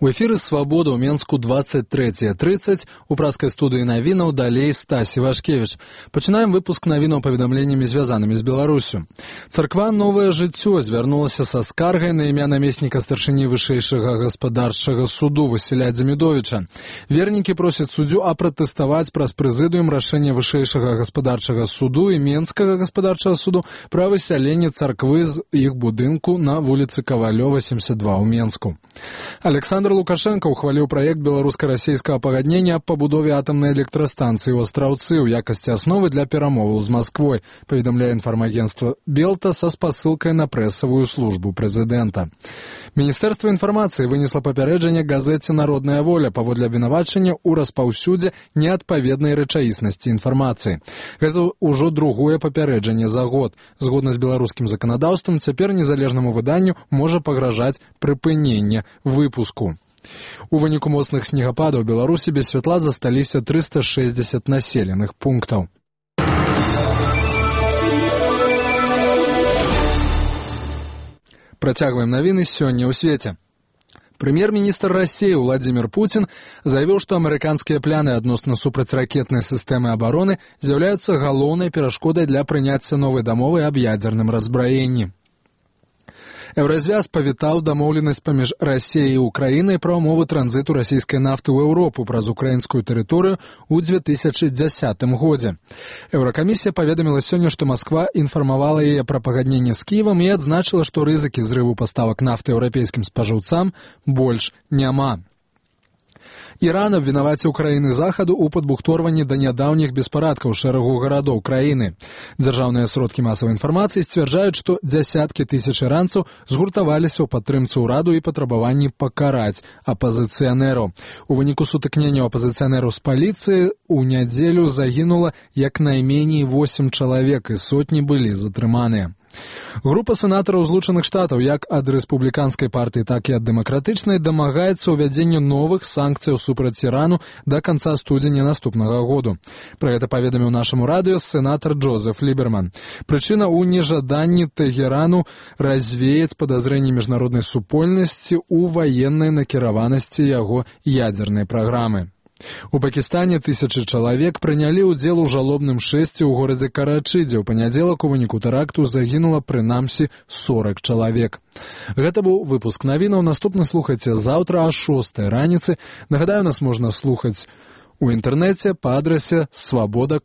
У эфіры «Свабода» ў Менску 23:30. У праскай студыі навінаў далей Стасі Вашкевіч. Пачынаем выпуск навінаў паведамленнямі, звязанымі з Беларусю. Царква «Новае жыццё» звярнулася са скаргай на імя намесніка старшыні вышэйшага гаспадарчага суду Васіля Дземідовіча. Вернікі просяць суддзю апратэставаць праз прэзідыум рашэнне вышэйшага гаспадарчага суду і Менскага гаспадарчага суду пра высяленне царквы з іх будынку на вуліцы Кавалёва, 72 ў Менску. Александр Лукашенко ухваліў праект беларуска-расейскага пагаднення аб пабудове атамнай электрастанцыі ў Астраўцы ў якасці асновы для перамоваў з Масквой, паведамляе інфармагенцтва Белта са спасылкай на прэсавую службу прэзідэнта. Міністэрства інфармацыі вынесла папярэджанне газеце «Народная воля» паводле абвінавачання ў распаўсюдзе неадпаведнай рэчаіснасці інфармацыі. Гэта ўжо другое папярэджанне за год. Згодна з беларускім заканадаўствам, цяпер незалежнаму выданню можа пагражаць прыпыненне выпуску. У выніку моцных снегападаў у Беларусі без святла засталіся 360 населеных пунктаў. Працягваем навіны сёння ў свеце. Прэм'ер-міністр Расіі Владзімір Пуцін заявіў, што амерыканскія пляны адносна супрацьракетнай сістэмы абароны з'яўляюцца галоўнай перашкодай для прыняцця новай дамовы аб ядзерным раззбраенні. Еўразвяз павітаў дамоўленасць паміж Расіяй і Украінай пра ўмовы транзіту расійскай нафты ў Еўропу праз украінскую тэрыторыю ў 2010 годзе. Еўракамісія паведаміла сёння, што Масква інфармавала яе пра пагадненне з Кіевам і адзначыла, што рызыкі зрыву паставак нафты еўрапейскім спажыўцам больш няма. Іран абвінаваціў краіны захаду ў падбухторванні да нядаўніх беспарадкаў шэрагу гарадоў краіны. Дзяржаўныя сродкі масавай інфармацыі сцвярджаюць, што дзясяткі тысяч іранцаў згуртаваліся ў падтрымцы ўраду і патрабаванні пакараць апазіцыянераў. У выніку сутыкненняў апазіцыянераў з паліцыі ў нядзелю загінула як найменей 8 чалавек і сотні былі затрыманыя. Група сенатараў Злучаных Штатаў як ад рэспубліканскай партыі, так і ад дэмакратычнай дамагаецца ўвядзення новых санкцыяў супраць Ірану да канца студзеня наступнага году. Пра гэта паведаміў нашаму радыё сенатар Джозеф Ліберман. Прычына ў нежаданні Тэгерану развеяць падазрэнні міжнароднай супольнасці ў ваеннай накіраванасці яго ядзернай праграмы. У Пакістане тысячы чалавек прынялі ўдзел у жалобным шэсці ў горадзе Карачы, дзе ў панядзелак у выніку тэракту загінула прынамсі 40 чалавек. Гэта быў выпуск навінаў. Наступна слухайце заўтра а 6 раніцы. Нагадаю, нас можна слухаць у інтэрнэце па адрасе свабода.